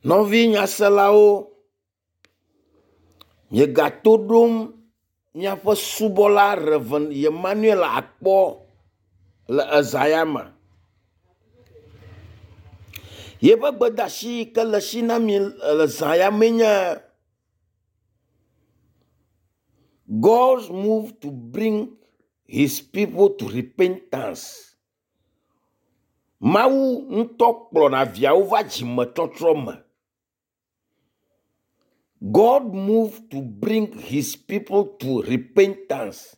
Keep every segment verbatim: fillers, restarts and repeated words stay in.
Nɔvi nyaselawo, miegato ɖom miaƒe subɔla Rev. Emmanuel Akpɔ le eza ya me. Yeƒe gbedeasi yi ke le esi na mi le zã ya mee nye God's move to bring his people to repentance. Mawu ŋutɔ kplɔna viawo va dzimetɔtrɔ me. God move to bring his people to repentance.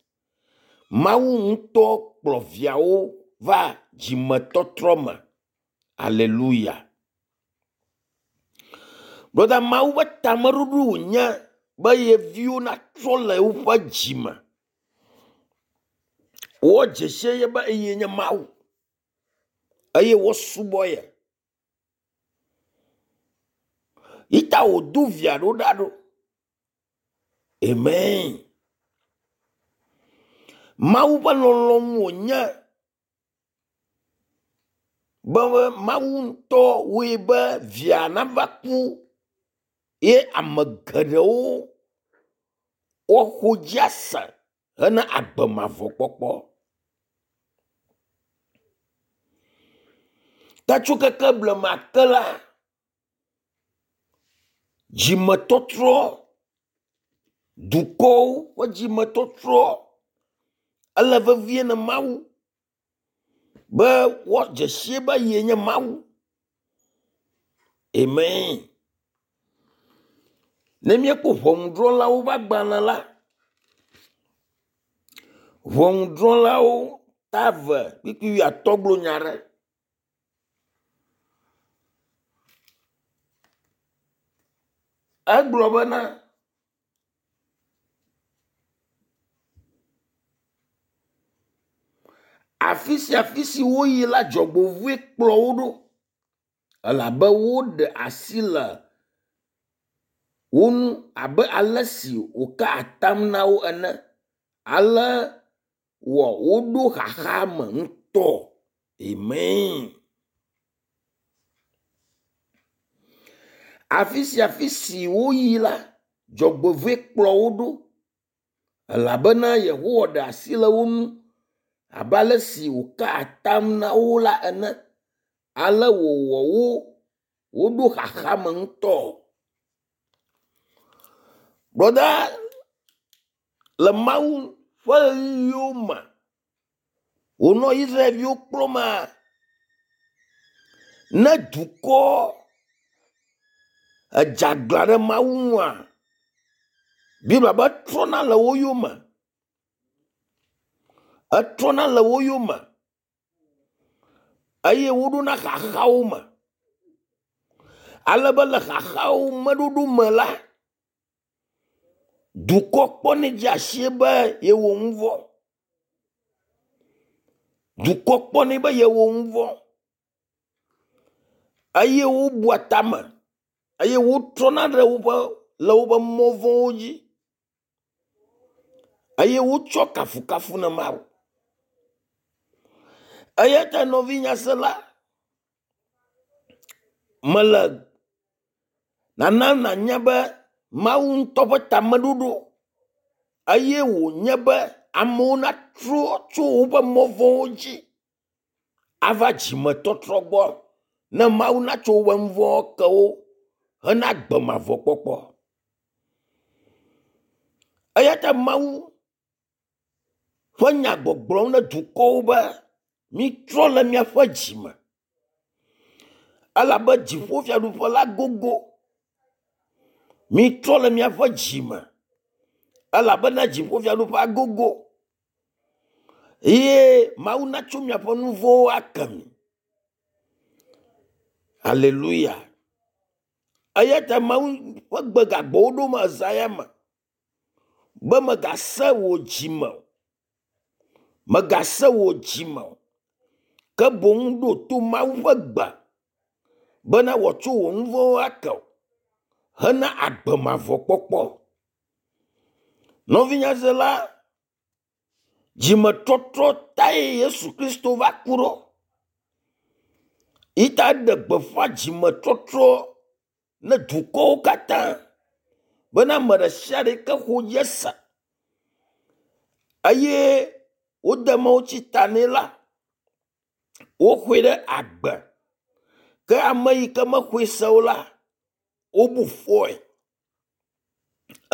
Mawu ŋutɔ kplɔ viawo va dzimetɔtrɔ me. Aleluya. Brɔda Mawu ƒe tameɖoɖo wònye be ye viwo natrɔ le woƒe dzi me. Woadze sie ye be eye nye Mawu eye woasubɔ ye. Yi ta wòdo via ɖo ɖa ɖo. Amen. Mawu ƒe lɔlɔ̃nu wònye be Mawu ŋutɔ wɔe be via nava ku ye ame geɖewo woaxɔ dzi ase hena agbe mavɔ kpɔkpɔ. Ta tso keke blema ke la, dzimetɔtrɔ, dukɔwo ƒe dzimetɔtrɔ ele vevie ne Mawu be woadze sie be yee nye Mawu. Amen. Ne míekpɔ ʋɔnudrɔ̃lawo ƒe agbalẽ la, ʋɔnudrɔ̃lawo ta eve kpukpui wuiatɔ̃ gblɔ nya aɖe. Egblɔ bena afi sia afi si woyi la dzɔgbevɔ̃e kplɔ wo ɖo elabe woɖe asi le wo ŋu abe ale si wòka atam na wo ene. Ale wɔ woɖo xaxa me ŋutɔ. Amen. Afi sia afi si woyi la, dzɔgbevɔ̃e kplɔ wo ɖo elabena Yehowa ɖe asi le wo ŋu abe ale si wòka atam na wo la ene. Ale wòwɔ wo woɖo xaxa me ŋutɔ. Brɔda le Mawu ƒe ɣeyiɣiwo me wònɔ Israelviwo kplɔmaa, ne dukɔ edze aglã ɖe Mawu ŋua, Biblia be etrɔna le wo yome. Etrɔna le wo yome eye woɖona xaxawo me. Ale be le xaxawo me ɖoɖo me la, dukɔ kpɔnɛ dze sie be yewɔ nu vɔ̃. Dukɔ kpɔnɛ be yewɔ nu vɔ̃ eye wobua tame eye wotrɔna ɖe woƒe le woƒe mɔ vɔ̃wo dzi eye wotsɔ kafukafu na Mawu. Eya ta nɔvi nyasela, mele nana nànya be Mawu ŋutɔ ƒe tameɖoɖo eye wònye be amewo natrɔ tso woƒe mɔ vɔ̃wo dzi ava dzimetɔtrɔ gbɔ ne Mawu natso woƒe nu vɔ̃wo ke wo hena agbe mavɔ kpɔkpɔ. Eya ta Mawu ƒe nya gbɔgblɔm ne dukɔwo be mitrɔ le miaƒe dzi me elabe dziƒofiaɖuƒe la gogo. Mitrɔ le miaƒe dzi me elabena dziƒofiaɖuƒea gogo eye Mawu natso miaƒe nu vɔ̃wo ake mi. Aleluya. Eya ta Mawu ƒe gbe gagbɔ wo ɖom eza ya me be mègase wò dzime o. Mègase wò dzime o. Ke boŋ ɖo to Mawu ƒe gbe bena wòatso wò nu vɔ̃wo ake wò hena agbe mavɔ kpɔkpɔ. Nɔvinyasela, dzimetɔtrɔ tae Yesu Kristo va ku ɖo. Yi ta eɖe gbeƒã dzimetɔtrɔ ne dukɔwo katã bena ame ɖe sia ɖe yi ke xɔ dzi se eye wode mawutsi ta nɛ la, woxɔe ɖe agbe. Ke ame yi ke mexɔe se o la, wobu fɔe.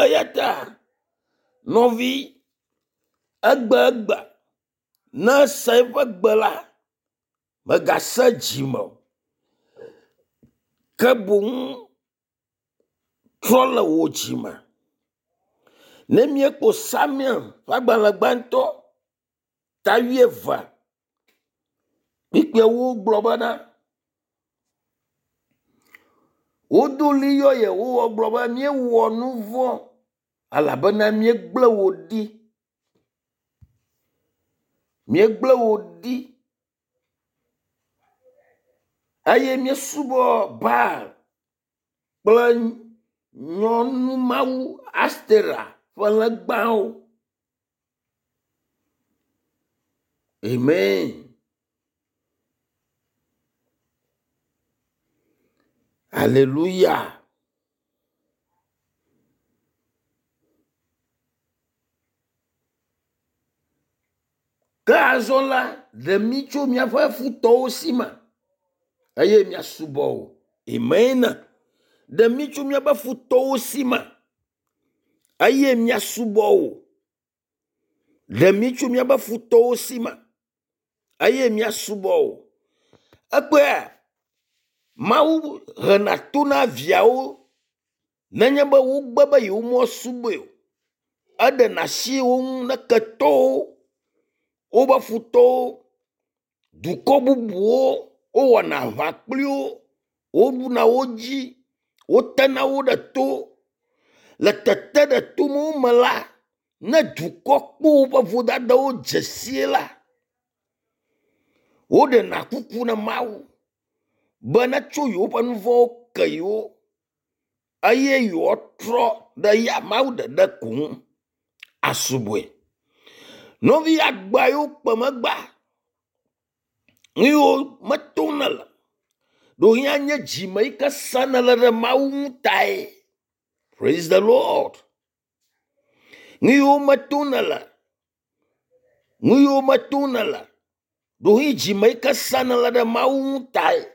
Eya ta nɔvi egbe egbe ne ese eƒe gbe la, mègase dzime o ke boŋ trɔ le wò dzime. Ne míekpɔ Samuel ƒe agbalẽ gbãtɔ ta wuieve kpukpuiawo gblɔ bena, wodo ɣli yɔ Yehowa gblɔ be míewɔ nu vɔ̃ elabena míegblẽ wò ɖi. Míegblẽ wò ɖi eye míesubɔ Baal kple nyɔnumawu Astera ƒe legbawo. Amen. Hallelujah. Ke azɔ la, ɖe mí tso míaƒe futɔwo si me eye míasubɔ wò. Amen. Ɖe mí tso míaƒe futɔwo si me eye míasubɔ wò. Ɖe mí tso míaƒe futɔwo si me eye míasubɔ wò. Ekpɔea, Mawu hena to na viawo nenye be wogbe be yewomesubɔe o. Eɖena asi wo ŋu ne ketɔwo, woƒe futɔwo, dukɔ bubuwo wowɔna aʋa kpli wo, woɖuna wo dzi, wotena wo ɖe to. Le tete ɖe to me la, ne dukɔ kpɔ woƒe vodadawo dze sie la, woɖena kuku na Mawu be netso yewoƒe nu vɔ̃wo ke yewo eye yewoatrɔ ɖe ya Mawu ɖeɖe ko ŋu asubɔe. Nɔvi agba yiwo kpe megba, nu yiwo metom nele, ɖewohĩ anye dzime yi ke sẽ nele ɖe Mawu ŋu tae. Praise the Lord. Nu yiwo metom nele, nu yiwo metom nele, ɖewohĩ dzime yi ke sẽ nele ɖe Mawu ŋu tae.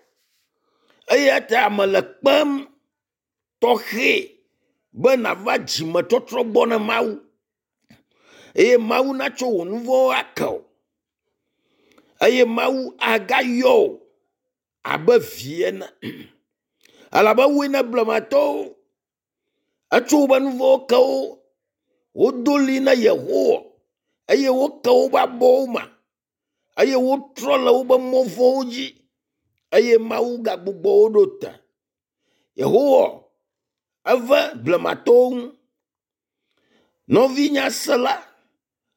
Eya ta mele kpem tɔxɛ be nava dzimetɔtrɔ gbɔ na Mawu eye Mawu natsɔ wò nu vɔ̃wo ake wò eye Mawu agayɔ wò abe vi ene. Elabe ewɔe na blematɔwo. Etsɔ woƒe nu vɔ̃wo ke wo. Wodo ɣli na Yehowa eye woke woƒe abɔwo me eye wotrɔ le woƒe mɔ vɔ̃wo dzi eye Mawu gagbugbɔ wo ɖo te. Yehowa eve blematɔwo ŋu. Nɔvi nyasela,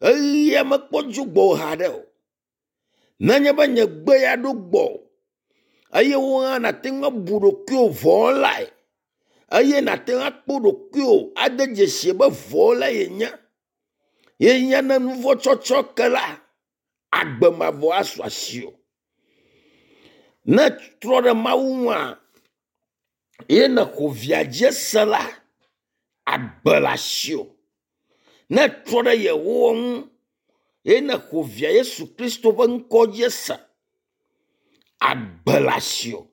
ɣeyiɣia mekpɔ dzo gbɔwò haɖe o. Nenye be nye gbe ya ɖo gbɔwò eye wò hã nàte ŋu abu ɖokuiwò vɔ̃wɔlae eye nàte ŋu akpɔ ɖokuiwò ade dzesi be vɔ̃wɔlae yenye. Ye nye ne nu vɔ̃ tsɔtsɔ ke la, agbe mavɔ asu asiwò. Ne trɔ ɖe Mawu ŋua, ye nèxɔ via dzi se la, agbe le asiwò. Ne trɔ ɖe Yehowa ŋu ye nèxɔ via Yesu Kristo ƒe ŋkɔ dzi se, agbe le asiwò.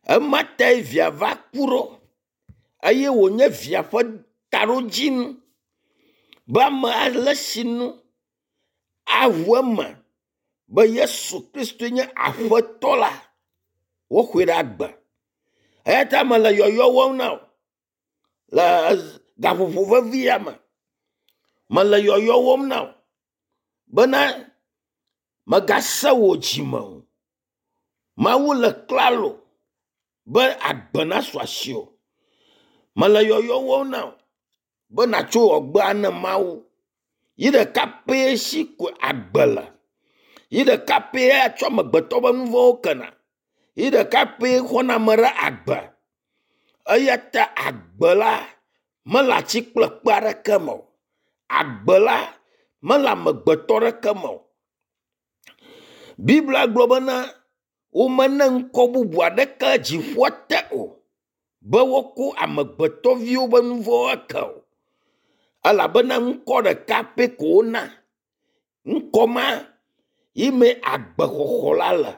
Ema tae via va ku ɖo eye wònye via ƒe taɖodzinu be ame ale si nu aʋu eme be Yesu Kristoe nye Aƒetɔ la, woxɔe ɖe agbe. Eya ta mele yɔyɔ wɔm na wò le gaƒoƒo vevi ya me. Mele yɔyɔ wɔm na wò bena mègase wò dzime o. Mawu le klalo be agbe nasu asiwò. Mele yɔyɔ wɔm na wò be nàtso wɔgbe ne Mawu. Yi ɖeka pɛ si ko agbe le. Yi ɖeka pɛ atsɔ amegbetɔ ƒe nu vɔ̃wo kena. Yi ɖeka pɛ xɔna ame ɖe agbe. Eya ta agbe la mele atsi kple kpe aɖeke me o. Agbe la mele amegbetɔ ɖeke me o. Biblia gblɔ bena womene ŋkɔ bubu aɖeke dziƒoa te o be woako amegbetɔviwo ƒe nu vɔ̃wo ake o. Elabena ŋkɔ ɖeka pɛ ko wona. Ŋkɔ ma yi mee agbexɔxɔ la le.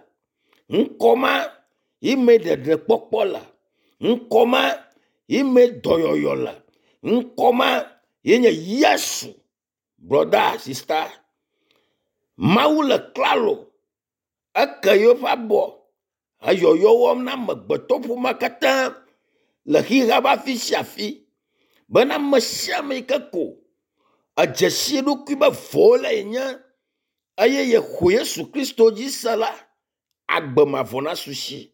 Ŋkɔ ma yi mee ɖeɖekpɔkpɔ le. Ŋkɔ ma yi mee dɔyɔyɔ le. Ŋkɔ ma ye nye Yesu. Brɔda, sista, Mawu le klalo eke yeƒe abɔ eyɔyɔ wɔm na amegbetɔƒomea katã le xexea ƒe afi sia afi bena ame sia ame yi ke ko edze si eɖokui be vɔ̃wɔlae yenye eye yexɔ Yesu Kristo dzi se la, agbe mavɔ nasu si.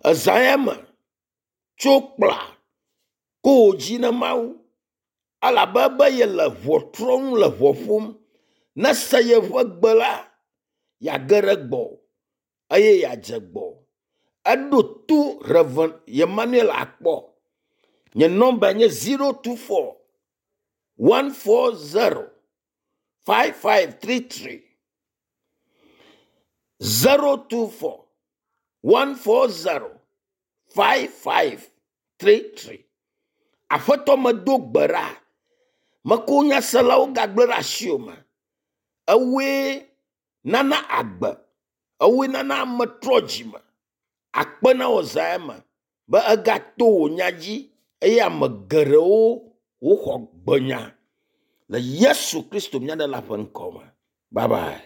Ezã ya me tso kpla ko wò dzi na Mawu elabe be yele ʋɔtrɔ nu le ʋɔ ƒom. Ne ese yeƒe gbe la, yeage ɖe gbɔwò eye yeadze gbɔwò. Eɖo to Rev. Emmanuel Akpɔ. Nye nɔmba nye zero two four one four zero five five three three zero two four one four zero five five three three. Aƒetɔ medo gbe ɖa. Meko nyaselawo gagblẽ ɖe asiwò me. Ewòe nana agbe, ewòe nana ame trɔ dzime. Akpe na wò zã ya me be egato wò nya dzi eye ame geɖewo woxɔ gbenya le Yesu Kristo mía ɖela ƒe ŋkɔ me. Bye bye.